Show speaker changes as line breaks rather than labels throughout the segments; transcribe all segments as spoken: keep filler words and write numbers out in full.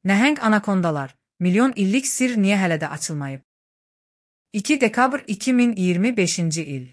Nəhəng anakondalar, milyon illik sir niyə hələ də açılmayıb? iki dekabr iki min iyirmi beşinci il.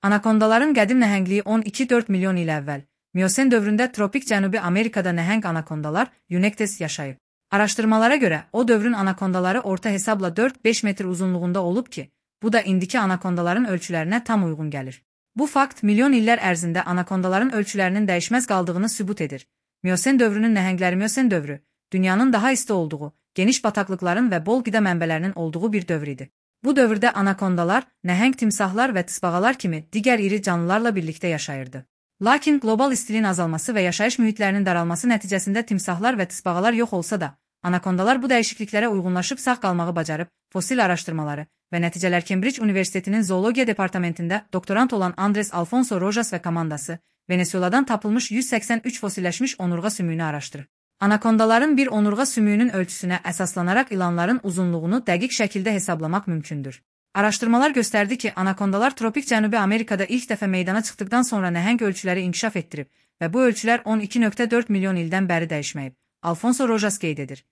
Anakondaların qədim nəhəngliyi on iki dörd milyon il əvvəl, Miosen dövründə tropik Cənubi Amerikada nəhəng anakondalar Eunectes yaşayıb. Araşdırmalara görə, o dövrün anakondaları orta hesabla dörd beş metr uzunluğunda olub ki, bu da indiki anakondaların ölçülərinə tam uyğun gəlir. Bu fakt milyon illər ərzində anakondaların ölçülərinin dəyişməz qaldığını sübut edir. Miosen dövrünün nəhəngləri Miosen dövrü, dünyanın daha isti olduğu, geniş bataqlıqların və bol qida mənbələrinin olduğu bir dövr idi. Bu dövrdə anakondalar, nəhəng timsahlar və tısbağalar kimi digər iri canlılarla birlikdə yaşayırdı. Lakin qlobal istiliyin azalması və yaşayış mühitlərinin daralması nəticəsində timsahlar və tısbağalar yox olsa da, anakondalar bu dəyişikliklərə uyğunlaşıb sağ qalmağı bacarıb, fosil araşdırmaları və nəticələr Cambridge Universitetinin zoologiya departamentində doktorant olan Andres Alfonso Rojas və komandası Venezueladan tapılmış yüz səksən üç fosilləşmiş onurğa sümüyünü araşdırır. Anakondaların bir onurğa sümüyünün ölçüsünə əsaslanaraq ilanların uzunluğunu dəqiq şəkildə hesablamaq mümkündür. Araşdırmalar göstərdi ki, anakondalar tropik Cənubi Amerikada ilk dəfə meydana çıxdıqdan sonra nəhəng ölçüləri inkişaf etdirib və bu ölçülər on iki nöqtə dörd milyon ildən bəri dəyişməyib. Alfonso Rojas qeyd edir.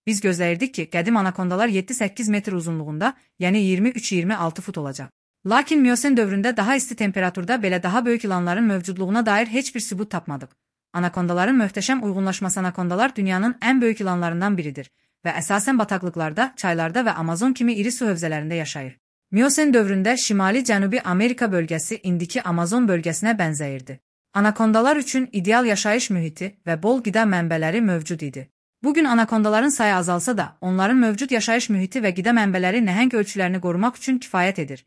Biz gözləyirdik ki, qədim anakondalar yeddi səkkiz metr uzunluğunda, yəni iyirmi üç iyirmi altı fut olacaq. Lakin Miosen dövründə daha isti temperaturda belə daha böyük ilanların mövcudluğuna dair heç bir sübut tapmadıq. Anakondaların möhtəşəm uyğunlaşması anakondalar dünyanın ən böyük ilanlarından biridir və əsasən bataqlıqlarda, çaylarda və Amazon kimi iri su hövzələrində yaşayır. Miosen dövründə Şimali Cənubi Amerika bölgəsi indiki Amazon bölgəsinə bənzəyirdi. Anakondalar üçün ideal yaşayış mühiti və bol qida mənbələri mövcud idi. Bugün anakondaların sayı azalsa da, onların mövcud yaşayış mühiti və qida mənbələri nəhəng ölçülərini qorumaq üçün kifayət edir.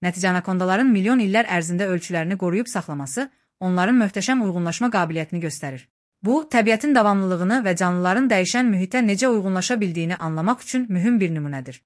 Nəticə anakondaların milyon illər ərzində ölçülərini qoruyub saxlaması, onların möhtəşəm uyğunlaşma qabiliyyətini göstərir. Bu, təbiətin davamlılığını və canlıların dəyişən mühitə necə uyğunlaşa bildiyini anlamaq üçün mühüm bir nümunədir.